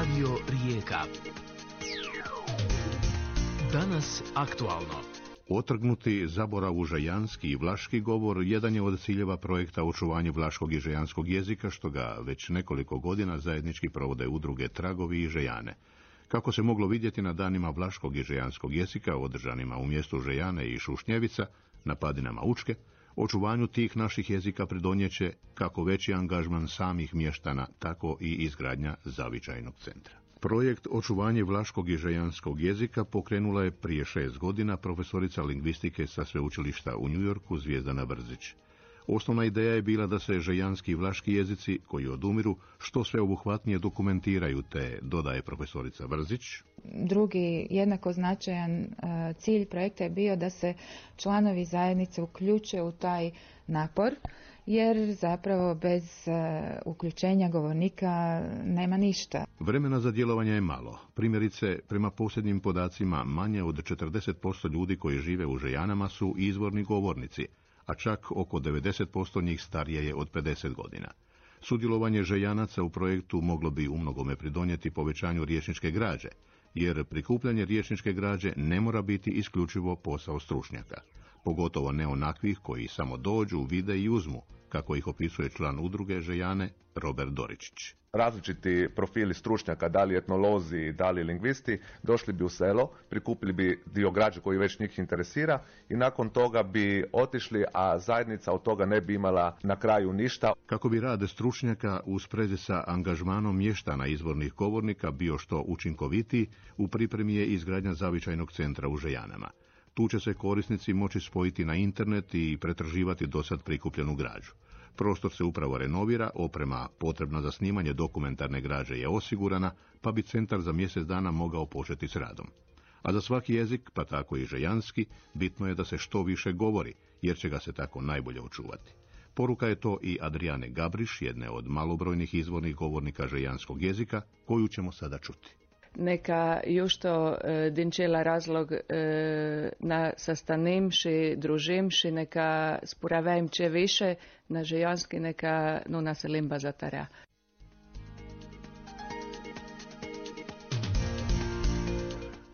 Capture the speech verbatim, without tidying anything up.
Radio Rijeka. Danas aktualno. Otrgnuti zaboravu žajanski i vlaški govor jedan je od ciljeva projekta očuvanje vlaškog i žajanskog jezika, što ga već nekoliko godina zajednički provode udruge Tragovi i Žejane. Kako se moglo vidjeti na danima vlaškog i žejanskog jezika, održanima u mjestu Žejane i Šušnjevica, na padinama Učke, očuvanju tih naših jezika pridonjeće kako veći angažman samih mještana, tako i izgradnja zavičajnog centra. Projekt očuvanje vlaškog i žejanskog jezika pokrenula je prije šest godina profesorica lingvistike sa sveučilišta u New Yorku Zvijezdana Brzić. Osnovna ideja je bila da se žejanski i vlaški jezici, koji odumiru, što sveobuhvatnije dokumentiraju, te, dodaje profesorica Brzić. Drugi jednako značajan cilj projekta je bio da se članovi zajednice uključe u taj napor, jer zapravo bez uključenja govornika nema ništa. Vremena za djelovanje je malo. Primjerice, prema posljednjim podacima, manje od četrdeset posto ljudi koji žive u Žejanama su izvorni govornici, a čak oko devedeset posto njih starije je od pedeset godina. Sudjelovanje Žejanaca u projektu moglo bi umnogome pridonijeti povećanju riječničke građe, jer prikupljanje riječničke građe ne mora biti isključivo posao stručnjaka, pogotovo ne onakvih koji samo dođu, vide i uzmu, kako ih opisuje član udruge Žejane Robert Doričić. Različiti profili stručnjaka, da li etnolozi, da li lingvisti, došli bi u selo, prikupili bi dio građe koji već njih interesira i nakon toga bi otišli, a zajednica od toga ne bi imala na kraju ništa. Kako bi rad stručnjaka u sprezi sa angažmanom mještana izvornih govornika bio što učinkovitiji, u pripremi je izgradnja zavičajnog centra u Žejanama. Tu će se korisnici moći spojiti na internet i pretraživati dosad prikupljenu građu. Prostor se upravo renovira, oprema potrebna za snimanje dokumentarne građe je osigurana, pa bi centar za mjesec dana mogao početi s radom. A za svaki jezik, pa tako i žejanski, bitno je da se što više govori, jer će ga se tako najbolje očuvati. Poruka je to i Adriane Gabriš, jedne od malobrojnih izvornih govornika žejanskog jezika, koju ćemo sada čuti. Neka jušto e, dinčela razlog e, na sastanemši, družimši, neka spuravajmče više na žejanski, neka nuna se limba zatara.